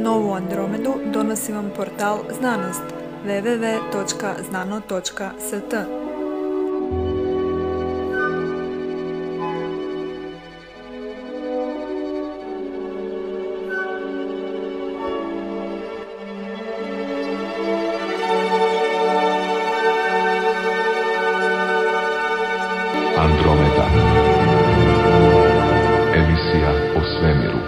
Novu Andromedu donosi vam portal Znanost www.znano.st. Andromeda. Emisija o svemiru.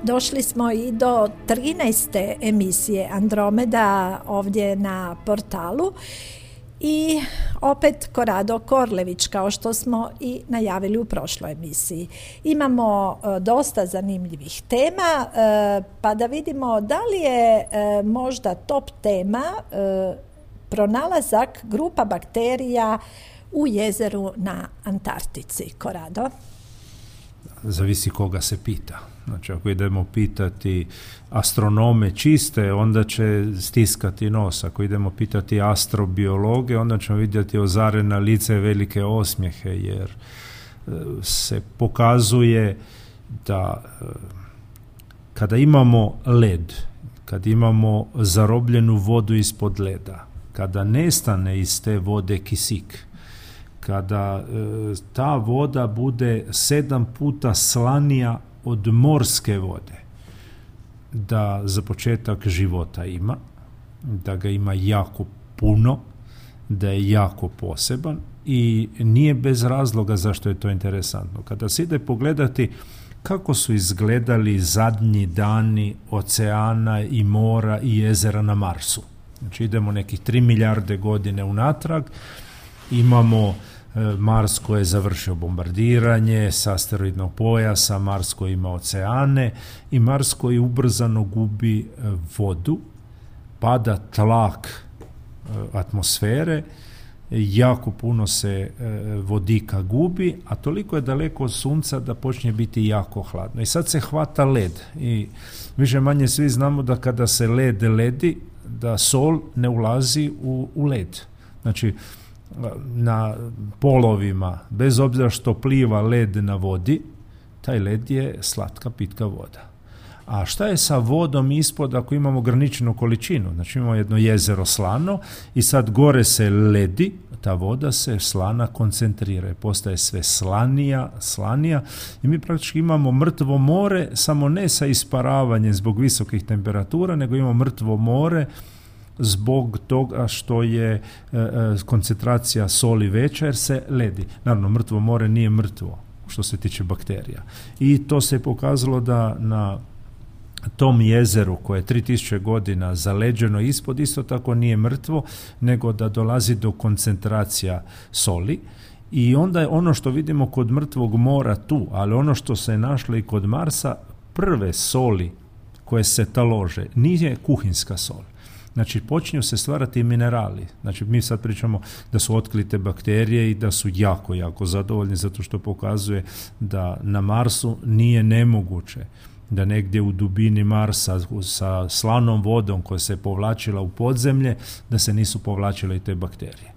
Došli smo i do 13. emisije Andromeda ovdje na portalu i opet Korado Korlević, kao što smo i najavili u prošloj emisiji. Imamo dosta zanimljivih tema, pa da vidimo da li je možda top tema pronalazak grupa bakterija u jezeru na Antarktici. Korado? Zavisi koga se pita. Znači, ako idemo pitati astronome čiste, onda će stiskati nos. Ako idemo pitati astrobiologe, onda ćemo vidjeti ozarena lice velike osmijehe, jer se pokazuje da kada imamo led, kad imamo zarobljenu vodu ispod leda, kada nestane iz te vode kisik, kada ta voda bude 7 puta slanija od morske vode, da za početak života ima, da ga ima jako puno, da je jako poseban i nije bez razloga zašto je to interesantno. Kada se ide pogledati kako su izgledali zadnji dani oceana i mora i jezera na Marsu. Znači idemo nekih 3 milijarde godine unatrag, imamo Mars koji je završio bombardiranje s asteroidnog pojasa, Mars koji ima oceane i Mars koji ubrzano gubi vodu, pada tlak atmosfere, jako puno se vodika gubi, a toliko je daleko od Sunca da počne biti jako hladno. I sad se hvata led i više manje svi znamo da kada se led ledi, da sol ne ulazi u led. Znači, na polovima, bez obzira što pliva led na vodi, taj led je slatka pitka voda. A šta je sa vodom ispod ako imamo ograničenu količinu? Znači imamo jedno jezero slano i sad gore se ledi, ta voda se slana koncentrira i postaje sve slanija i mi praktički imamo mrtvo more, samo ne sa isparavanjem zbog visokih temperatura, nego imamo mrtvo more zbog toga što je koncentracija soli veća jer se ledi. Naravno, mrtvo more nije mrtvo što se tiče bakterija. I to se je pokazalo da na tom jezeru koje je 3000 godina zaleđeno ispod, isto tako nije mrtvo, nego da dolazi do koncentracija soli. I onda je ono što vidimo kod mrtvog mora tu, ali ono što se je našlo i kod Marsa, prve soli koje se talože nije kuhinska sol. Znači, počinju se stvarati minerali. Znači, mi sad pričamo da su otkrite bakterije i da su jako, jako zadovoljni zato što pokazuje da na Marsu nije nemoguće da negdje u dubini Marsa sa slanom vodom koja se povlačila u podzemlje, da se nisu povlačile i te bakterije.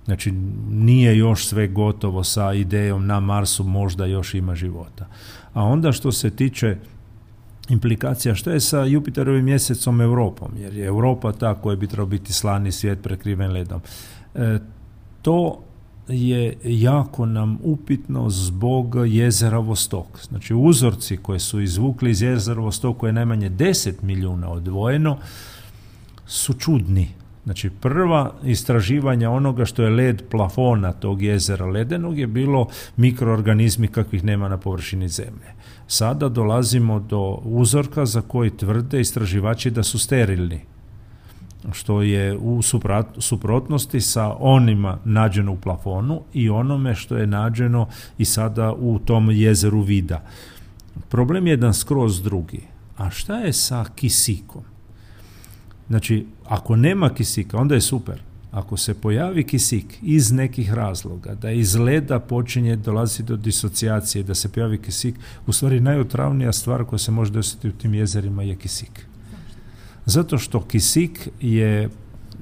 Znači, nije još sve gotovo sa idejom na Marsu, možda još ima života. A onda što se tiče implikacija, što je sa Jupiterovim mjesecom Europom, jer je Europa ta koja bi trebao biti slani svijet prekriven ledom. To je jako nam upitno zbog jezera Vostok. Znači uzorci koje su izvukli iz jezera Vostok, koje je najmanje 10 milijuna odvojeno, su čudni. Znači prva istraživanja onoga što je led plafona tog jezera ledenog je bilo mikroorganizmi kakvih nema na površini zemlje. Sada dolazimo do uzorka za koji tvrde istraživači da su sterilni, što je u suprotnosti sa onima nađeno u plafonu i onome što je nađeno i sada u tom jezeru Vida. Problem je jedan skroz drugi. A šta je sa kisikom? Znači, ako nema kisika, onda je super. ako se pojavi kisik iz nekih razloga, da iz leda počinje dolaziti do disocijacije, da se pojavi kisik, u stvari najotravnija stvar koja se može desiti u tim jezerima je kisik. Zato što kisik je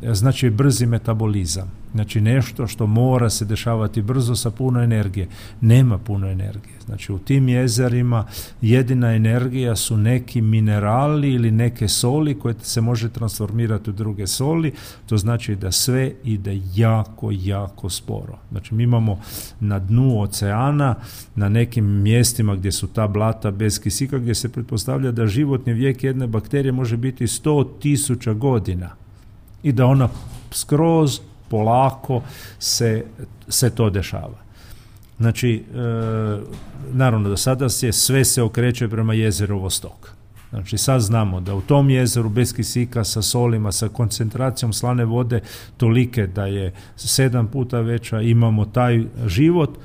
znači brzi metabolizam. Znači nešto što mora se dešavati brzo sa puno energije. Nema puno energije. Znači u tim jezerima jedina energija su neki minerali ili neke soli koje se može transformirati u druge soli. To znači da sve ide jako, jako sporo. Znači mi imamo na dnu oceana, na nekim mjestima gdje su ta blata bez kisika, gdje se pretpostavlja da životni vijek jedne bakterije može biti 100.000 godina i da ona skroz polako se to dešava. Znači, naravno da sada sve se okreće prema jezeru Vostok. Znači, sad znamo da u tom jezeru bez kisika, sa solima, sa koncentracijom slane vode tolike da je 7 puta veća, imamo taj život,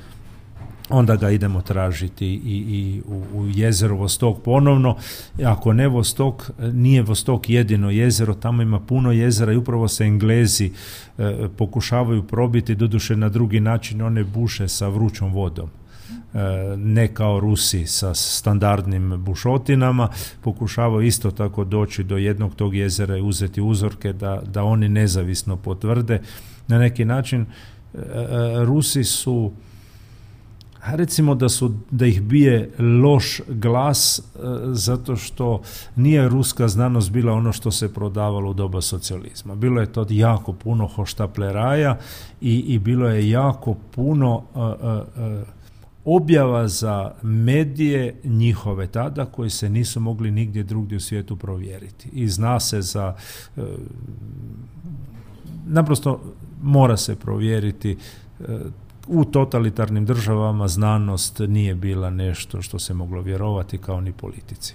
onda ga idemo tražiti i u jezeru Vostok ponovno. Ako ne Vostok, nije Vostok jedino jezero, tamo ima puno jezera i upravo se Englezi pokušavaju probiti, doduše na drugi način, one buše sa vrućom vodom. Ne kao Rusi sa standardnim bušotinama, pokušavaju isto tako doći do jednog tog jezera i uzeti uzorke da oni nezavisno potvrde. Na neki način Rusi su, recimo da ih bije loš glas, zato što nije ruska znanost bila ono što se prodavalo u doba socijalizma. Bilo je to jako puno hoštapleraja i bilo je jako puno objava za medije njihove tada koji se nisu mogli nigdje drugdje u svijetu provjeriti. I zna se za naprosto mora se provjeriti. U totalitarnim državama znanost nije bila nešto što se moglo vjerovati, kao ni politici.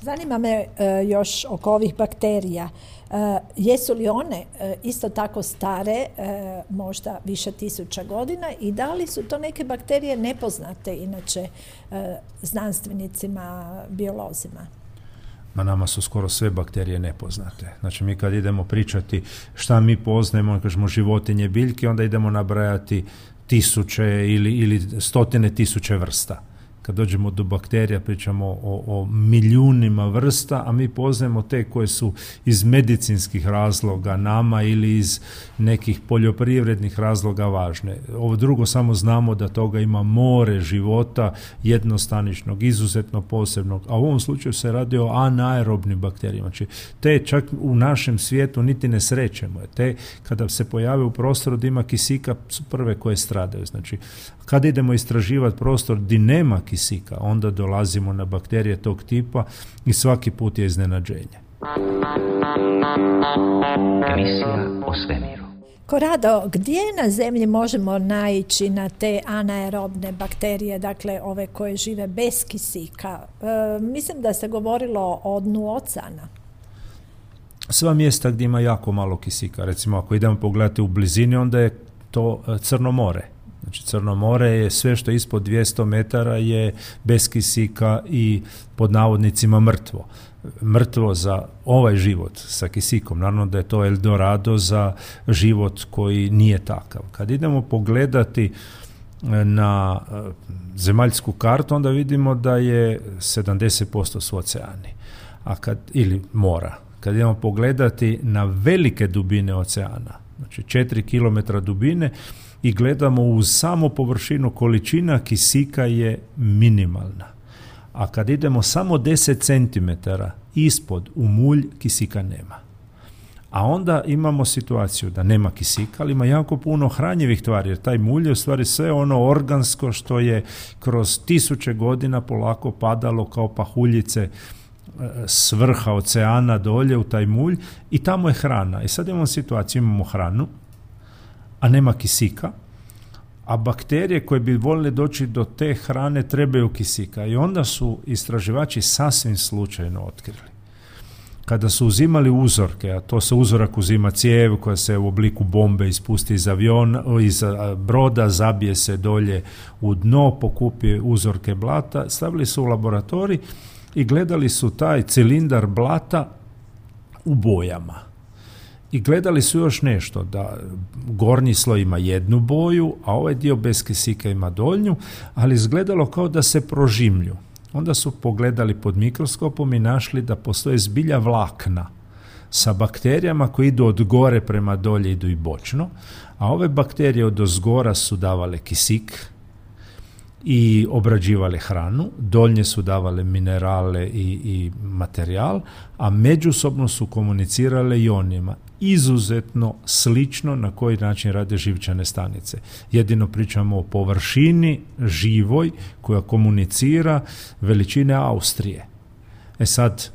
Zanima me još oko ovih bakterija. Jesu li one isto tako stare, možda više tisuća godina, i da li su to neke bakterije nepoznate inače znanstvenicima, biolozima? Ma nama su skoro sve bakterije nepoznate. Znači mi kad idemo pričati šta mi poznajemo, kažemo životinje, biljke, onda idemo nabrajati tisuće ili stotine tisuće vrsta. Kad dođemo do bakterija pričamo o milijunima vrsta, a mi poznajemo te koje su iz medicinskih razloga nama ili iz nekih poljoprivrednih razloga važne. Ovo drugo samo znamo da toga ima more života, jednostaničnog, izuzetno posebnog, a u ovom slučaju se radi o anaerobnim bakterijama. Znači, te čak u našem svijetu niti ne srećemo. Te kada se pojave u prostoru da ima kisika su prve koje stradaju. Znači, kad idemo istraživati prostor gdje nema kisika, onda dolazimo na bakterije tog tipa i svaki put je iznenađenje. Emisija o svemiru. Korado, gdje na zemlji možemo naići na te anaerobne bakterije, dakle ove koje žive bez kisika? Mislim da se govorilo o dnu oceana. Sva mjesta gdje ima jako malo kisika, recimo ako idemo pogledati u blizini, onda je to Crno more. Znači Crno more je sve što je ispod 200 metara je bez kisika i pod navodnicima mrtvo. Mrtvo za ovaj život sa kisikom. Naravno da je to Eldorado za život koji nije takav. Kad idemo pogledati na zemaljsku kartu, onda vidimo da je 70% su oceani, ili mora. Kad idemo pogledati na velike dubine oceana, znači 4 km dubine, i gledamo uz samo površinu, količina kisika je minimalna. A kad idemo samo 10 cm ispod u mulj, kisika nema. A onda imamo situaciju da nema kisika, ali ima jako puno hranjivih tvari, jer taj mulj je u stvari sve ono organsko što je kroz tisuće godina polako padalo kao pahuljice s vrha oceana dolje u taj mulj i tamo je hrana. I sad imamo situaciju, imamo hranu, a nema kisika, a bakterije koje bi voljeli doći do te hrane trebaju kisika. I onda su istraživači sasvim slučajno otkrili. Kada su uzimali uzorke, a to se uzorak uzima cijev koja se u obliku bombe ispusti iz broda, zabije se dolje u dno, pokupi uzorke blata, stavili su u laboratorij i gledali su taj cilindar blata u bojama. I gledali su još nešto, da gornji sloj ima jednu boju, a ovaj dio bez kisika ima donju, ali izgledalo kao da se prožimlju. Onda su pogledali pod mikroskopom i našli da postoje zbilja vlakna sa bakterijama koji idu od gore prema dolje, idu i bočno, a ove bakterije od ozgora su davale kisik i obrađivale hranu, doljnje su davale minerale i materijal, a međusobno su komunicirale ionima. Izuzetno slično na koji način rade živčane stanice. Jedino pričamo o površini živoj koja komunicira veličine Austrije. Sad,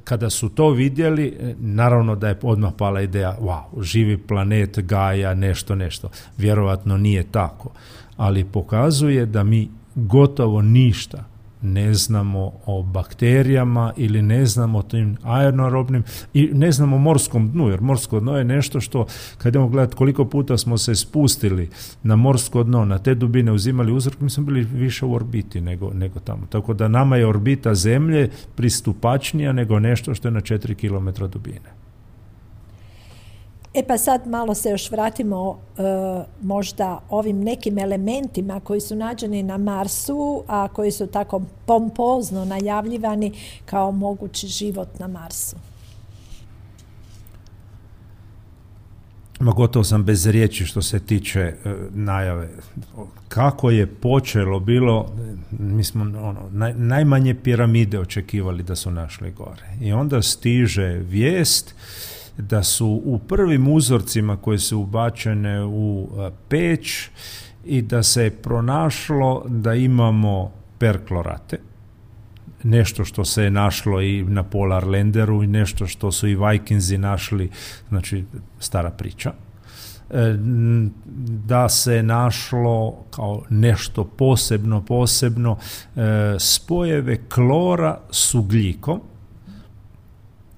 kada su to vidjeli, naravno da je odmah pala ideja, wow, živi planet, Gaja, nešto. Vjerovatno nije tako, ali pokazuje da mi gotovo ništa ne znamo o bakterijama ili ne znamo o tim aeronaerobnim i ne znamo o morskom dnu, jer morsko dno je nešto što, kad idemo gledati koliko puta smo se spustili na morsko dno, na te dubine uzimali uzrok, mi smo bili više u orbiti nego tamo. Tako da nama je orbita Zemlje pristupačnija nego nešto što je na 4 km dubine. Pa sad malo se još vratimo možda ovim nekim elementima koji su nađeni na Marsu, a koji su tako pompozno najavljivani kao mogući život na Marsu. Gotovo sam bez riječi što se tiče najave. Kako je počelo bilo, mi smo najmanje piramide očekivali da su našli gore. I onda stiže vijest da su u prvim uzorcima koje su ubačene u peć i da se je pronašlo da imamo perklorate, nešto što se je našlo i na Polar Landeru i nešto što su i Vikingsi našli, znači stara priča. Da se našlo kao nešto posebno spojeve klora s ugljikom,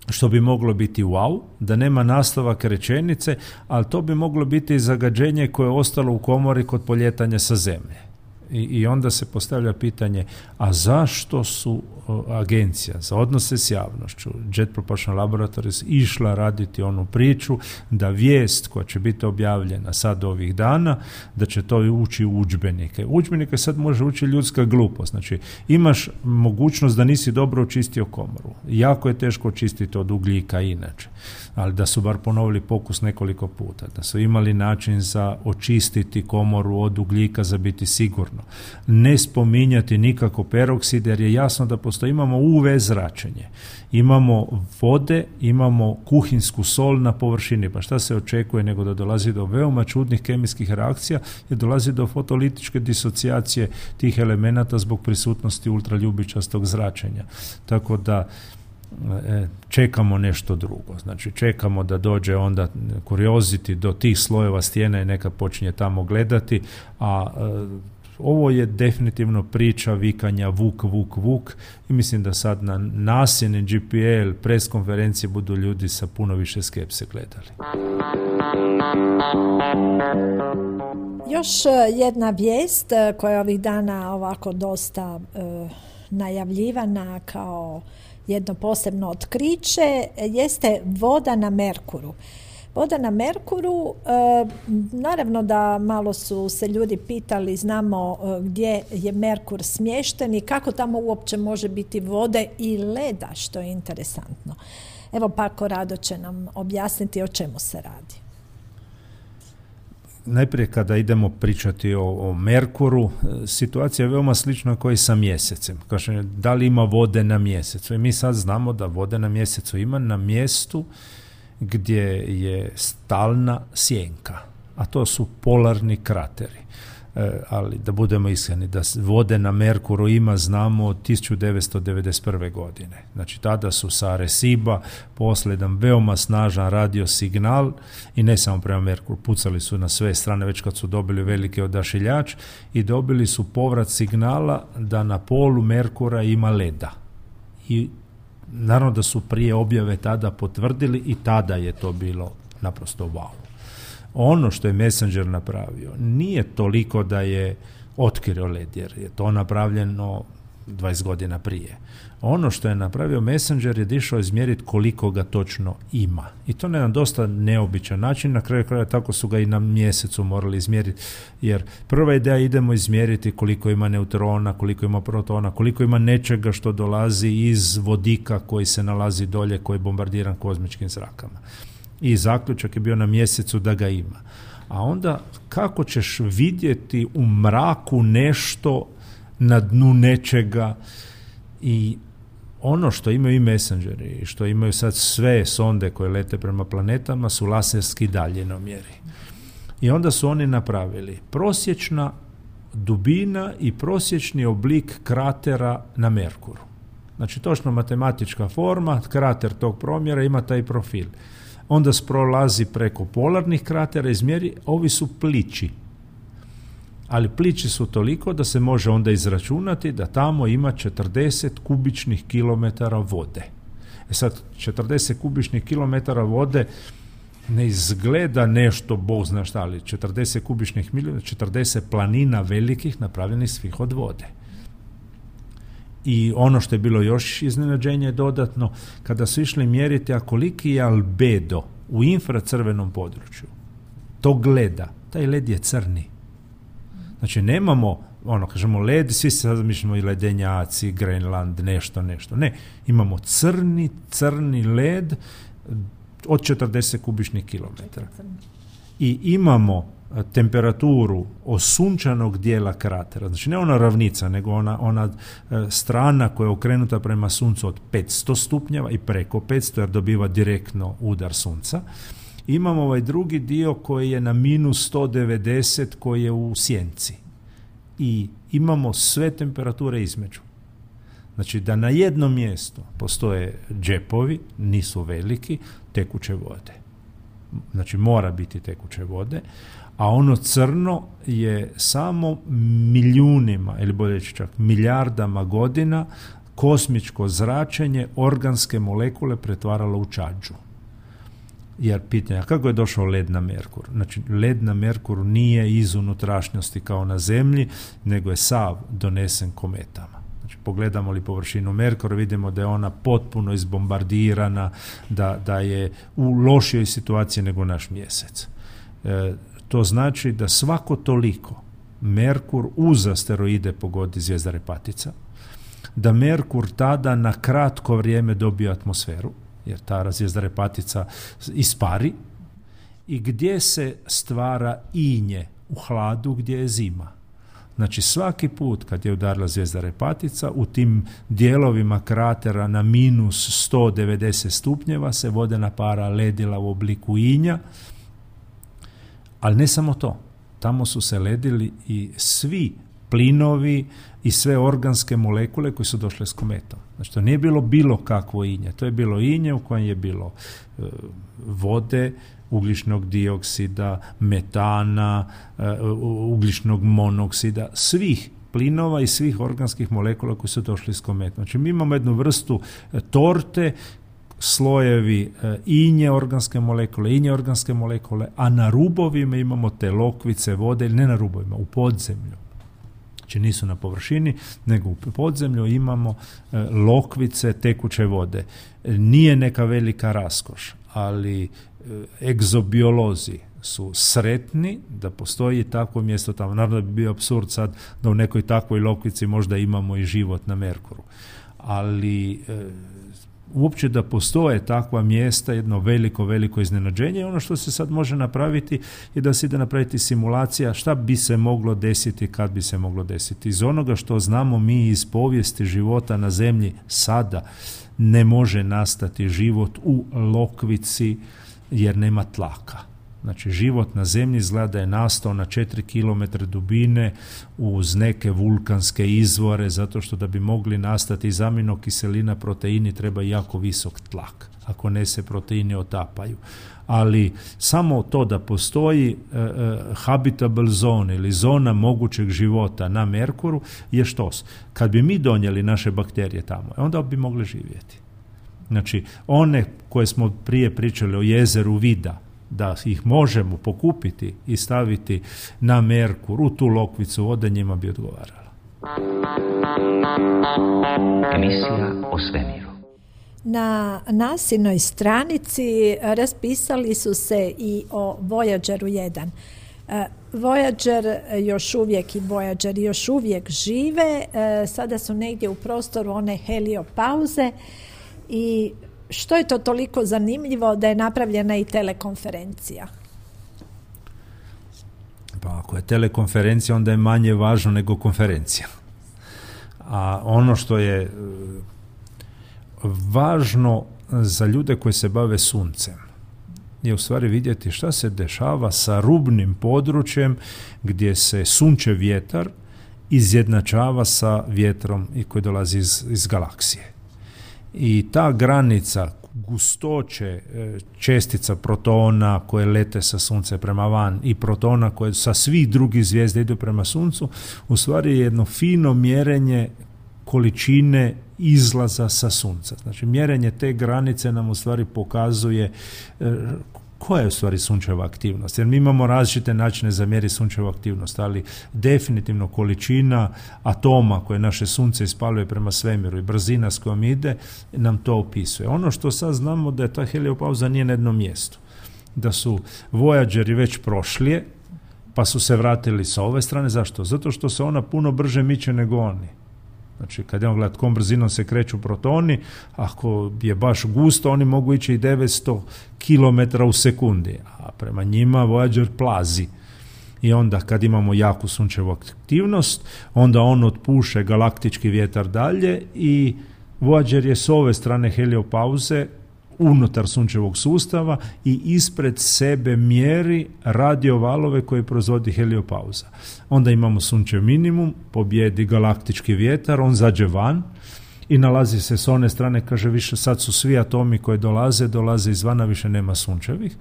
što bi moglo biti wow, da nema nastavak rečenice, ali to bi moglo biti zagađenje koje je ostalo u komori kod poljetanja sa Zemlje. I onda se postavlja pitanje, a zašto su agencija za odnose s javnošću, Jet Propulsion Laboratories, išla raditi onu priču da vijest koja će biti objavljena sad ovih dana, da će to ući u udžbenike. Udžbenike sad može ući ljudska glupost. Znači, imaš mogućnost da nisi dobro očistio komoru. Jako je teško očistiti od ugljika inače, ali da su bar ponovili pokus nekoliko puta, da su imali način za očistiti komoru od ugljika za biti sigurno. Ne spominjati nikako peroksid, jer je jasno da imamo UV zračenje, imamo vode, imamo kuhinsku sol na površini, pa šta se očekuje nego da dolazi do veoma čudnih kemijskih reakcija i dolazi do fotolitičke disocijacije tih elemenata zbog prisutnosti ultraljubičastog zračenja. Tako da čekamo nešto drugo. Znači čekamo da dođe onda curiosity do tih slojeva stijene i neka počinje tamo gledati, a ovo je definitivno priča vikanja vuk i mislim da sad na nasjene GPL pres konferencije budu ljudi sa puno više skepse gledali. Još jedna vijest koja je ovih dana ovako dosta najavljivana kao jedno posebno otkriće jeste voda na Merkuru. Voda na Merkuru, naravno da malo su se ljudi pitali, znamo gdje je Merkur smješten i kako tamo uopće može biti vode i leda, što je interesantno. Evo pa Korado će nam objasniti o čemu se radi. Najprije kada idemo pričati o Merkuru, situacija je veoma slična kao i sa Mjesecem. Kaže, da li ima vode na Mjesecu? I mi sad znamo da vode na Mjesecu ima na mjestu gdje je stalna sjenka, a to su polarni krateri. Ali da budemo iskreni, da vode na Merkuru ima, znamo, od 1991. godine. Znači tada su sa Areciba poslali jedan veoma snažan radio signal i ne samo prema Merkuru, pucali su na sve strane već kad su dobili veliki odašiljač i dobili su povrat signala da na polu Merkura ima leda. I naravno da su prije objave tada potvrdili i tada je to bilo naprosto wow. Ono što je Messenger napravio nije toliko da je otkrio led, jer je to napravljeno 20 godina prije. Ono što je napravio Messenger je išao izmjeriti koliko ga točno ima. I to na jedan dosta neobičan način, na kraju kraja tako su ga i na mjesecu morali izmjeriti, jer prva ideja idemo izmjeriti koliko ima neutrona, koliko ima protona, koliko ima nečega što dolazi iz vodika koji se nalazi dolje, koji je bombardiran kozmičkim zrakama. I zaključak je bio na mjesecu da ga ima. A onda kako ćeš vidjeti u mraku nešto na dnu nečega? I ono što imaju i Messengeri i što imaju sad sve sonde koje lete prema planetama su laserski daljinomjeri. I onda su oni napravili prosječna dubina i prosječni oblik kratera na Merkuru. Znači točno matematička forma, krater tog promjera ima taj profil. Onda prolazi preko polarnih kratera, izmjeri, ovi su plići. Ali plići su toliko da se može onda izračunati da tamo ima 40 kubičnih kilometara vode. Sad, 40 kubičnih kilometara vode ne izgleda nešto, Bog zna šta, ali 40 kubičnih milijuna, 40 planina velikih napravljenih svih od vode. I ono što je bilo još iznenađenje dodatno, kada su išli mjeriti, a koliki je albedo u infracrvenom području, to gleda, taj led je crni. Znači nemamo, kažemo led, svi se sad mišljamo i ledenjaci, Grenland, nešto. Ne, imamo crni led od 40 kubičnih kilometara. I imamo temperaturu osunčanog dijela kratera, znači ne ona ravnica, nego ona strana koja je okrenuta prema suncu od 500 stupnjeva i preko 500, jer dobiva direktno udar sunca. Imamo ovaj drugi dio koji je na minus 190, koji je u sjenci. I imamo sve temperature između. Znači da na jednom mjestu postoje džepovi, nisu veliki, tekuće vode. Znači mora biti tekuće vode, a ono crno je samo milijunima, ili bolje čak milijardama godina, kosmičko zračenje organske molekule pretvaralo u čađu. Jer pitanja, kako je došao led na Merkur? Znači, led na Merkuru nije iz unutrašnjosti kao na Zemlji, nego je sav donesen kometama. Znači, pogledamo li površinu Merkura, vidimo da je ona potpuno izbombardirana, da je u lošijoj situaciji nego naš mjesec. To znači da svako toliko Merkur uz asteroide pogodi zvijezda Repatica, da Merkur tada na kratko vrijeme dobije atmosferu, jer ta zvijezda Repatica ispari, i gdje se stvara inje u hladu gdje je zima. Znači svaki put kad je udarila zvijezda Repatica, u tim dijelovima kratera na minus 190 stupnjeva se vodena para ledila u obliku inja, ali ne samo to. Tamo su se ledili i svi plinovi i sve organske molekule koje su došle s kometom. Znači to nije bilo kakvo inje. To je bilo inje u kojem je bilo vode, ugljičnog dioksida, metana, ugljičnog monoksida, svih plinova i svih organskih molekula koji su došli s kometom. Znači mi imamo jednu vrstu torte, slojevi inje organske molekule, a na rubovima imamo te lokvice vode, ili ne na rubovima, u podzemlju. Znači nisu na površini, nego u podzemlju imamo lokvice tekuće vode. Nije neka velika raskoš, ali egzobiolozi su sretni da postoji takvo mjesto tamo. Naravno da bi bio apsurd sad da u nekoj takvoj lokvici možda imamo i život na Merkuru. Ali uopće da postoje takva mjesta, jedno veliko iznenađenje. Ono što se sad može napraviti je da se ide napraviti simulacija šta bi se moglo desiti kad bi se moglo desiti. Iz onoga što znamo mi iz povijesti života na Zemlji sada, ne može nastati život u lokvici jer nema tlaka. Znači, život na Zemlji izgleda da je nastao na 4 km dubine uz neke vulkanske izvore, zato što da bi mogli nastati iz aminokiselina proteini treba jako visok tlak. Ako ne, se proteini otapaju. Ali samo to da postoji habitable zone ili zona mogućeg života na Merkuru je štos. Kad bi mi donijeli naše bakterije tamo, onda bi mogli živjeti. Znači, one koje smo prije pričali o jezeru Vida, da ih možemo pokupiti i staviti na Merkur, u tu lokvicu vode, njima bi odgovarala. Emisija o svemiru. Na nasinoj stranici raspisali su se i o Voyageru 1. Voyager još uvijek žive, sada su negdje u prostoru one heliopauze i što je to toliko zanimljivo da je napravljena i telekonferencija? Pa ako je telekonferencija, onda je manje važno nego konferencija. A ono što je važno za ljude koji se bave suncem je u stvari vidjeti šta se dešava sa rubnim područjem gdje se sunčev vjetar izjednačava sa vjetrom i koji dolazi iz galaksije. I ta granica gustoće čestica protona koje lete sa sunce prema van i protona koje sa svih drugih zvijezda idu prema suncu, u stvari je jedno fino mjerenje količine izlaza sa sunca. Znači, mjerenje te granice nam u stvari pokazuje koja je u stvari sunčeva aktivnost. Jer mi imamo različite načine za mjeriti sunčevu aktivnost, ali definitivno količina atoma koje naše sunce ispaljuje prema svemiru i brzina s kojom ide nam to opisuje. Ono što sad znamo da je ta heliopauza nije na jednom mjestu. Da su Voyageri već prošli, pa su se vratili sa ove strane. Zašto? Zato što se ona puno brže miče nego oni. Znači, kad idemo gledati kom brzinom se kreću protoni, ako je baš gusto, oni mogu ići i 900 km u sekundi, a prema njima Voyager plazi. I onda kad imamo jaku sunčevu aktivnost, onda on otpuše galaktički vjetar dalje i Voyager je s ove strane heliopauze unutar sunčevog sustava i ispred sebe mjeri radiovalove koje proizvodi heliopauza. Onda imamo sunčev minimum, pobjedi galaktički vjetar, on zađe van i nalazi se s one strane, kaže više sad su svi atomi koji dolaze izvana, više nema sunčevih,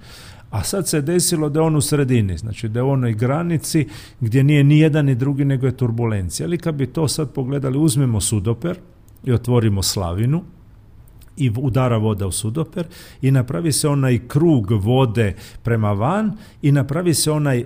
a sad se desilo da je on u sredini, znači da je u onoj granici gdje nije ni jedan ni drugi nego je turbulencija. Ali kad bi to sad pogledali, uzmemo sudoper i otvorimo slavinu i udara voda u sudoper i napravi se onaj krug vode prema van i napravi se onaj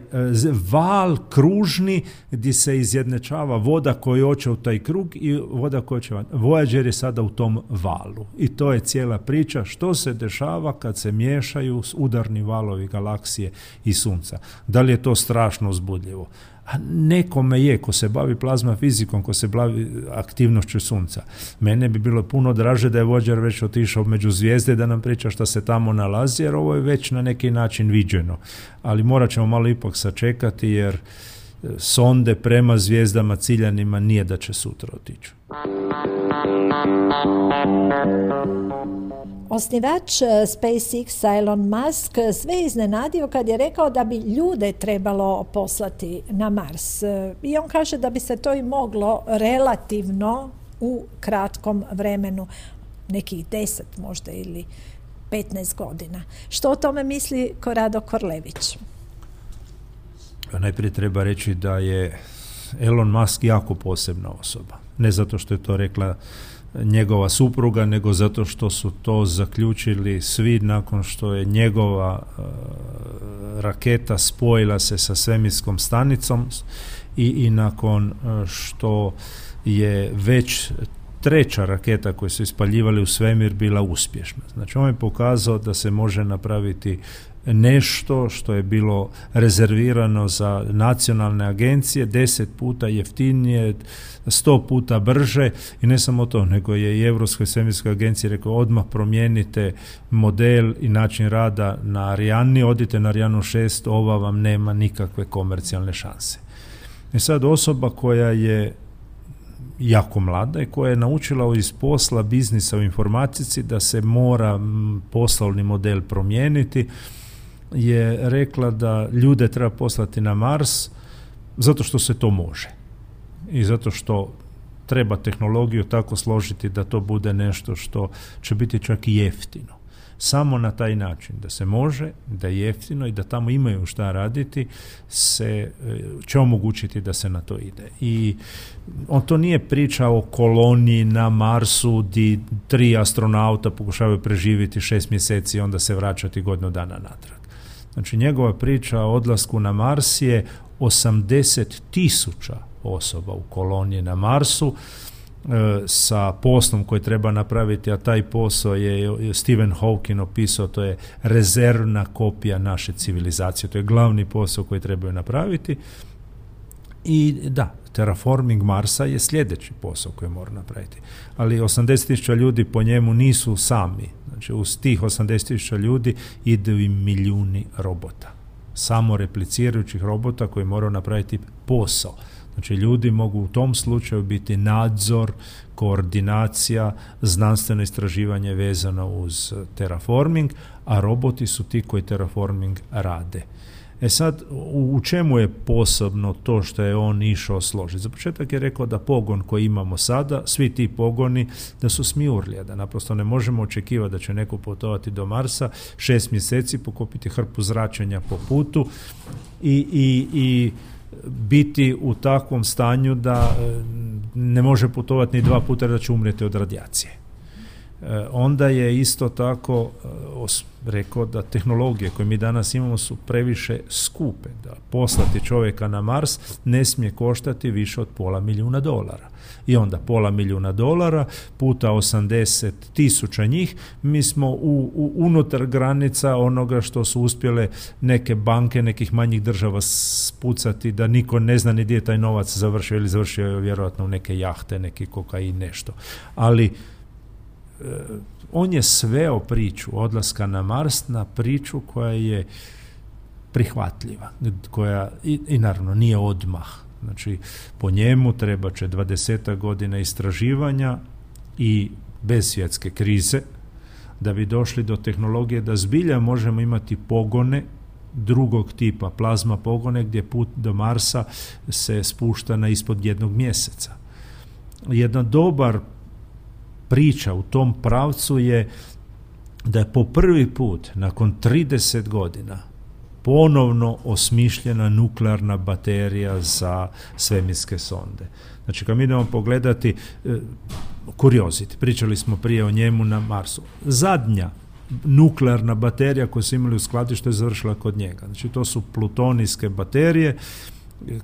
val kružni gdje se izjednačava voda koja hoće u taj krug i voda koja će van. Voyager je sada u tom valu i to je cijela priča što se dešava kad se miješaju udarni valovi galaksije i sunca. Da li je to strašno uzbudljivo? A nekome je, ko se bavi plazma fizikom, ko se bavi aktivnošću sunca. Mene bi bilo puno draže da je Voyager već otišao među zvijezde da nam priča šta se tamo nalazi, jer ovo je već na neki način viđeno. Ali morat ćemo malo ipak sačekati, jer sonde prema zvijezdama ciljanima nije da će sutra otići. Osnivač SpaceX Elon Musk sve je iznenadio kad je rekao da bi ljude trebalo poslati na Mars. I on kaže da bi se to i moglo relativno u kratkom vremenu, nekih 10 možda ili 15 godina. Što o tome misli Korado Korlević? Najprije treba reći da je Elon Musk jako posebna osoba. Ne zato što je to rekla njegova supruga, nego zato što su to zaključili svi nakon što je njegova raketa spojila se sa svemirskom stanicom i nakon što je već treća raketa koju su ispaljivali u svemir bila uspješna. Znači on je pokazao da se može napraviti nešto što je bilo rezervirano za nacionalne agencije 10 puta jeftinije, 100 puta brže i ne samo to, nego je i Europskoj svemirskoj agenciji rekao odmah promijenite model i način rada na Ariani, odite na Arianu 6, ova vam nema nikakve komercijalne šanse. I sad osoba koja je jako mlada i koja je naučila iz posla biznisa u informatici da se mora poslovni model promijeniti, je rekla da ljude treba poslati na Mars zato što se to može i zato što treba tehnologiju tako složiti da to bude nešto što će biti čak i jeftino. Samo na taj način da se može, da je jeftino i da tamo imaju šta raditi će omogućiti da se na to ide. I on to nije priča o koloniji na Marsu gdje 3 astronauta pokušavaju preživjeti 6 mjeseci i onda se vraćati godinu dana natrag. Znači njegova priča o odlasku na Mars je 80,000 osoba u koloniji na Marsu sa poslom koji treba napraviti, a taj posao je Stephen Hawking opisao, to je rezervna kopija naše civilizacije, to je glavni posao koji trebaju napraviti. I da, terraforming Marsa je sljedeći posao koji mora napraviti. Ali 80.000 ljudi po njemu nisu sami. Znači, uz tih 80.000 ljudi idu i milijuni robota. Samo replicirajućih robota koji moraju napraviti posao. Znači, ljudi mogu u tom slučaju biti nadzor, koordinacija, znanstveno istraživanje vezano uz terraforming, a roboti su ti koji terraforming rade. Sad, u čemu je posebno to što je on išao složiti? Za početak je rekao da pogon koji imamo sada, svi ti pogoni, da su smijurlija, da naprosto ne možemo očekivati da će neko putovati do Marsa 6 mjeseci, pokupiti hrpu zračenja po putu i biti u takvom stanju da ne može putovati ni 2 puta, da će umrijeti od radijacije. Onda je isto tako rekao da tehnologije koje mi danas imamo su previše skupe, da poslati čovjeka na Mars ne smije koštati više od $500,000. I onda $500,000 puta 80.000 njih, mi smo unutar granica onoga što su uspjele neke banke nekih manjih država spucati, da niko ne zna ni gdje je taj novac završio, ili završio je vjerojatno u neke jahte, neki kokain, nešto. Ali on je sveo priču odlaska na Mars na priču koja je prihvatljiva, koja i naravno nije odmah. Znači, po njemu treba će 20 godina istraživanja i bez svjetske krize da bi došli do tehnologije da zbilja možemo imati pogone drugog tipa, plazma pogone, gdje put do Marsa se spušta na ispod 1 mjeseca. Jedna dobar priča u tom pravcu je da je po prvi put nakon 30 godina ponovno osmišljena nuklearna baterija za svemirske sonde. Znači, kad mi idemo pogledati Curiosity, pričali smo prije o njemu na Marsu, zadnja nuklearna baterija koju su imali u skladištu je završila kod njega. Znači, to su plutonijske baterije.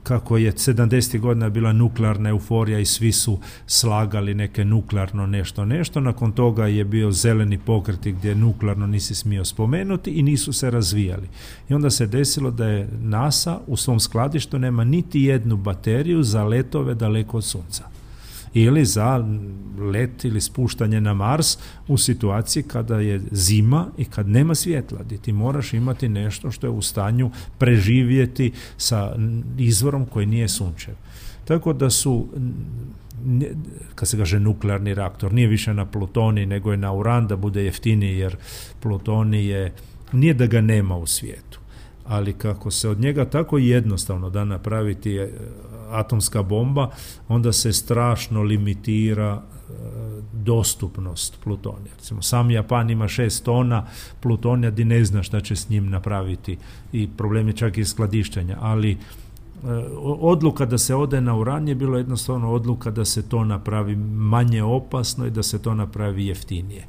Kako je 70. godina bila nuklearna euforija i svi su slagali neke nuklearno nešto, nakon toga je bio zeleni pokret gdje nuklearno nisi smio spomenuti i nisu se razvijali. I onda se desilo da je NASA u svom skladištu nema niti jednu bateriju za letove daleko od Sunca. Ili za let ili spuštanje na Mars u situaciji kada je zima i kad nema svjetla, gdje ti moraš imati nešto što je u stanju preživjeti sa izvorom koji nije sunčev. Tako da su, kad se kaže nuklearni reaktor, nije više na plutonij nego je na uran, da bude jeftiniji, jer plutonij nije da ga nema u svijetu, ali kako se od njega tako jednostavno da napraviti atomska bomba, onda se strašno limitira dostupnost plutonija. Recimo, sam Japan ima 6 tona plutonija, di ne zna šta će s njim napraviti, i problem je čak i skladištenja, ali odluka da se ode na uran je bilo jednostavno odluka da se to napravi manje opasno i da se to napravi jeftinije.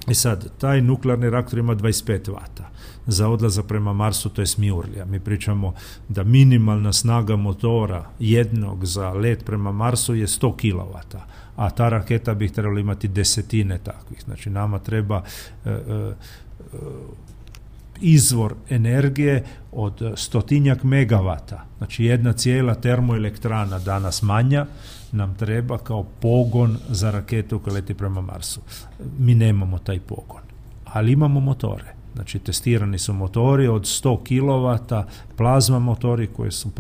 I sad, taj nuklearni reaktor ima 25 vata. Za odlazak prema Marsu to je smijurlija. Mi pričamo da minimalna snaga motora jednog za let prema Marsu je 100 kW, a ta raketa bi trebala imati desetine takvih. Znači, nama treba izvor energije od 100 megavata. Znači, jedna cijela termoelektrana danas manja nam treba kao pogon za raketu koja leti prema Marsu. Mi nemamo taj pogon, ali imamo motore. Znači, testirani su motori od 100 kW, plazma motori koji su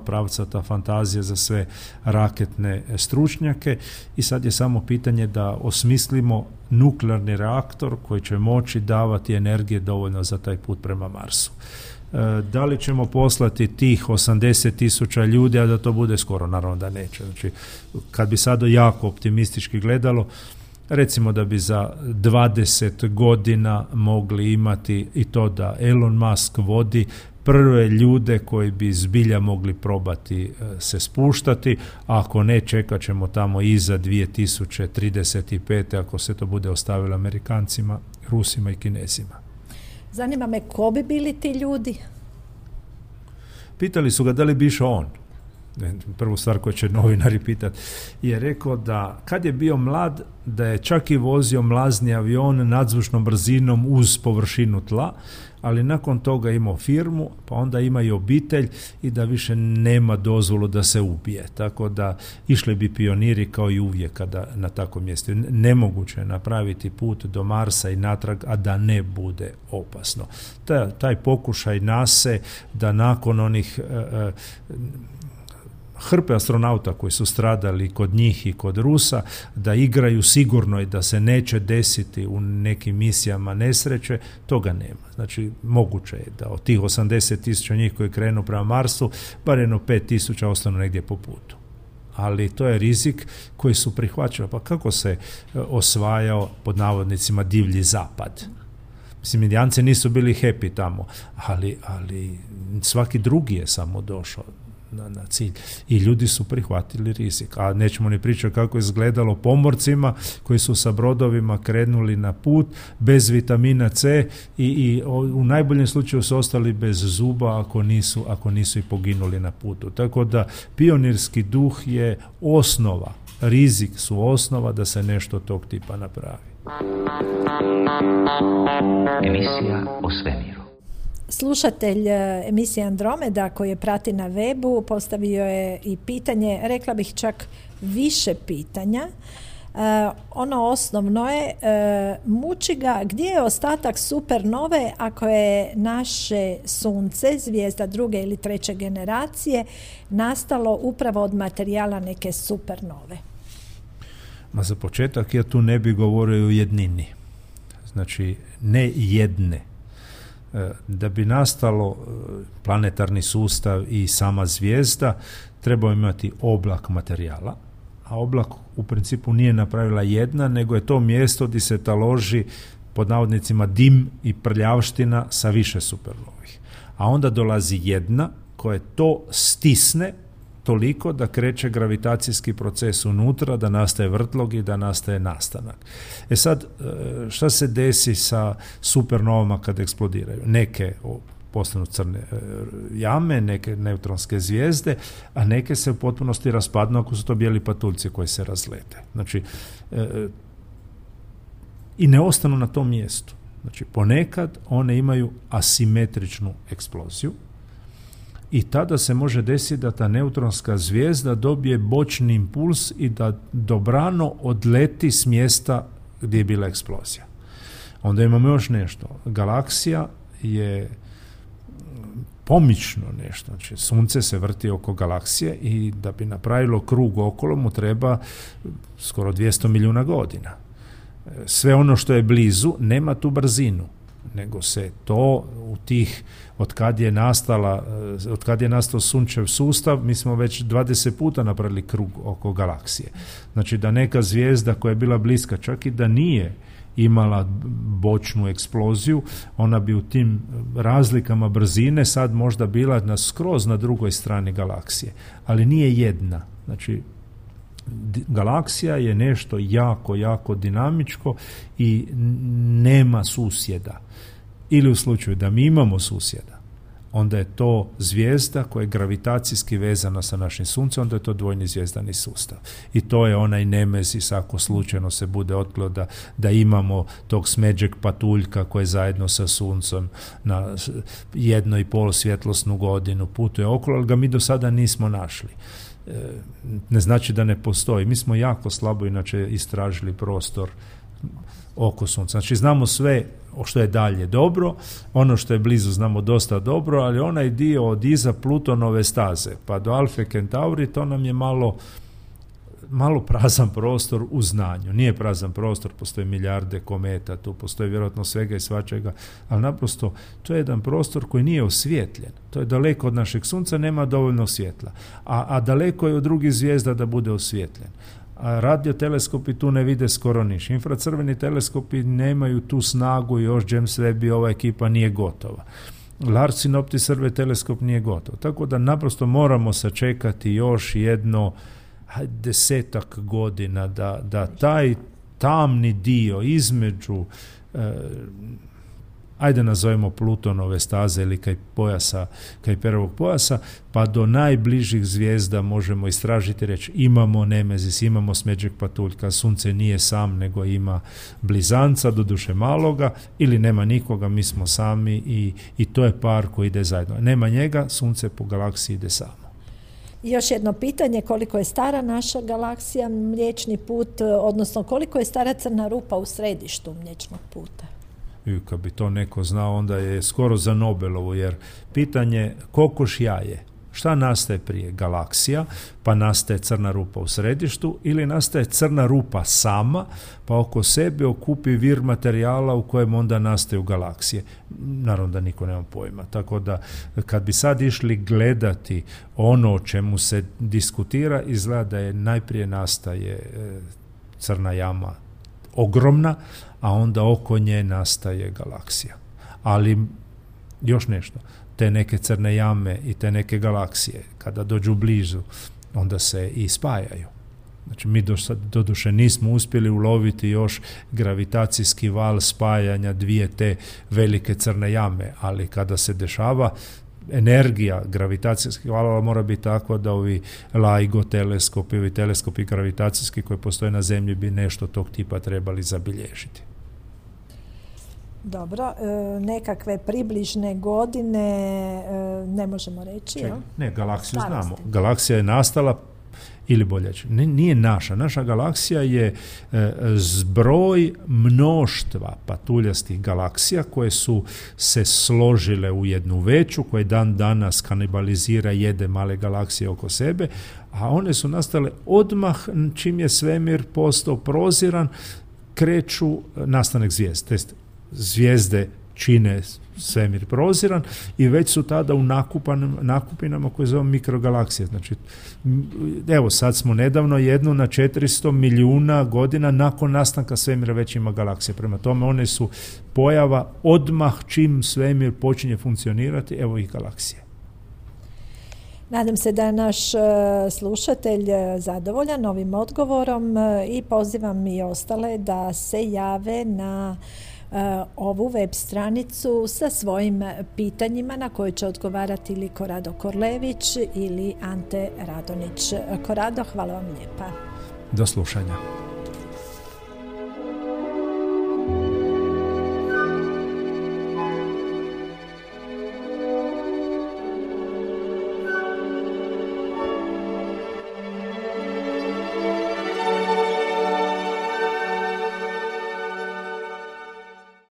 pravcata fantazija za sve raketne stručnjake, i sad je samo pitanje da osmislimo nuklearni reaktor koji će moći davati energije dovoljno za taj put prema Marsu. Da li ćemo poslati tih 80.000 ljudi, a da to bude skoro? Naravno da neće. Znači, kad bi sad jako optimistički gledalo, recimo da bi za 20 godina mogli imati i to da Elon Musk vodi prve ljude koji bi zbilja mogli probati se spuštati, a ako ne, čekat ćemo tamo iza 2035. ako se to bude ostavilo Amerikancima, Rusima i Kinezima. Zanima me, ko bi bili ti ljudi? Pitali su ga da li bi išao on. prvu stvar koju će novinari pitati, je rekao da kad je bio mlad, da je čak i vozio mlazni avion nadzvučnom brzinom uz površinu tla, ali nakon toga imao firmu, pa onda ima i obitelj i da više nema dozvolu da se ubije. Tako da išli bi pioniri kao i uvijek kada na takvom mjestu. Nemoguće je napraviti put do Marsa i natrag, a da ne bude opasno. Taj pokušaj NASA da nakon onih hrpe astronauta koji su stradali kod njih i kod Rusa, da igraju sigurno i da se neće desiti u nekim misijama nesreće, toga nema. Znači, moguće je da od tih 80.000 njih koji krenu prema Marsu, bar jedno 5.000 ostanu negdje po putu. Ali to je rizik koji su prihvaćali. Pa kako se osvajao, pod navodnicima, divlji zapad? Mislim, Indijanci nisu bili happy tamo, ali svaki drugi je samo došao na cilj i ljudi su prihvatili rizik. A nećemo ni pričati kako je izgledalo pomorcima koji su sa brodovima krenuli na put bez vitamina C i u najboljem slučaju su ostali bez zuba ako nisu i poginuli na putu. Tako da pionirski duh je osnova, rizik su osnova da se nešto tog tipa napravi. Emisija o svemiru. Slušatelj emisije Andromeda koji je prati na webu postavio je i pitanje, rekla bih čak više pitanja. Ono osnovno je, muči ga gdje je ostatak supernove ako je naše sunce, zvijezda druge ili treće generacije, nastalo upravo od materijala neke supernove. Ma za početak ja tu ne bi govorio o jednini. Znači, ne jedne. Da bi nastalo planetarni sustav i sama zvijezda, treba imati oblak materijala, a oblak u principu nije napravila jedna, nego je to mjesto gdje se taloži, pod navodnicima, dim i prljavština sa više supernovih. A onda dolazi jedna koja to stisne toliko da kreće gravitacijski proces unutra, da nastaje vrtlog i da nastaje nastanak. Sad, šta se desi sa supernovama kad eksplodiraju? Neke postanu crne jame, neke neutronske zvijezde, a neke se u potpunosti raspadnu ako su to bijeli patuljci koji se razlete. Znači, i ne ostanu na tom mjestu. Znači, ponekad one imaju asimetričnu eksploziju, i tada se može desiti da ta neutronska zvijezda dobije bočni impuls i da dobrano odleti s mjesta gdje je bila eksplozija. Onda imamo još nešto. Galaksija je pomično nešto. Znači, Sunce se vrti oko galaksije i da bi napravilo krug okolo mu treba skoro 200 milijuna godina. Sve ono što je blizu nema tu brzinu, nego se to u tih, od kad je nastao sunčev sustav, mi smo već 20 puta napravili krug oko galaksije. Znači da neka zvijezda koja je bila bliska, čak i da nije imala bočnu eksploziju, ona bi u tim razlikama brzine sad možda bila skroz na drugoj strani galaksije, ali nije jedna. Znači, galaksija je nešto jako, jako dinamičko i nema susjeda. Ili u slučaju da mi imamo susjeda, onda je to zvijezda koja je gravitacijski vezana sa našim suncem, onda je to dvojni zvijezdani sustav. I to je onaj nemezis ako slučajno se bude otkrilo da imamo tog smeđeg patuljka koji zajedno sa suncem na 1,5 svjetlosnu godinu putuje okolo, ali ga mi do sada nismo našli. Ne znači da ne postoji. Mi smo jako slabo inače istražili prostor oko sunca. Znači znamo sve što je dalje dobro, ono što je blizu znamo dosta dobro, ali onaj dio od iza Plutonove staze pa do Alfe Centauri, to nam je malo prazan prostor u znanju. Nije prazan prostor, postoje milijarde kometa, tu postoji vjerojatno svega i svačega, ali naprosto to je jedan prostor koji nije osvijetljen. To je daleko od našeg sunca, nema dovoljno svjetla. A daleko je od drugih zvijezda da bude osvijetljen. A radioteleskopi tu ne vide skoro niš. Infracrveni teleskopi nemaju tu snagu, još James Webb i ova ekipa nije gotova. Large Synoptic Survey teleskop nije gotov. Tako da naprosto moramo sačekati još jedno 10 godina da taj tamni dio između ajde nazovemo Plutonove staze ili Kuiperovog pojasa, pa do najbližih zvijezda možemo istražiti, reći imamo Nemezis, imamo smeđeg patuljka, sunce nije sam nego ima blizanca, doduše maloga, ili nema nikoga, mi smo sami i to je par koji ide zajedno. Nema njega, sunce po galaksiji ide samo. I još jedno pitanje, koliko je stara naša galaksija, Mliječni put, odnosno koliko je stara crna rupa u središtu Mliječnog puta? I kad bi to neko znao, onda je skoro za Nobelovu, jer pitanje kokoš jaje. Šta nastaje prije? Galaksija, pa nastaje crna rupa u središtu, ili nastaje crna rupa sama, pa oko sebe okupi vir materijala u kojem onda nastaju galaksije. Naravno da niko nema pojma. Tako da kad bi sad išli gledati ono o čemu se diskutira, izgleda da je najprije nastaje crna jama ogromna, a onda oko nje nastaje galaksija. Ali još nešto, te neke crne jame i te neke galaksije, kada dođu blizu, onda se i spajaju. Znači, mi doduše nismo uspjeli uloviti još gravitacijski val spajanja dvije te velike crne jame, ali kada se dešava, energija gravitacijskih valova mora biti takva da ovi LIGO teleskopi, ovi teleskopi gravitacijski koji postoje na Zemlji bi nešto tog tipa trebali zabilježiti. Dobro, nekakve približne godine ne možemo reći, jel? Ne, galaksiju znamo. Galaksija je nastala, ili bolje, nije naša galaksija je zbroj mnoštva patuljastih galaksija koje su se složile u jednu veću, koje dan danas kanibalizira, jede male galaksije oko sebe, a one su nastale odmah čim je svemir postao proziran, kreću nastanak zvijezde. Zvijezde čine svemir proziran i već su tada u nakupinama koje zovemo mikrogalaksije. Znači, evo sad smo nedavno jednu na 400 milijuna godina nakon nastanka svemira već ima galaksije. Prema tome one su pojava odmah čim svemir počinje funkcionirati, evo ih galaksije. Nadam se da je naš slušatelj zadovoljan ovim odgovorom i pozivam i ostale da se jave na ovu web stranicu sa svojim pitanjima na koje će odgovarati ili Korado Korlević ili Ante Radonić. Korado, hvala vam lijepa. Do slušanja.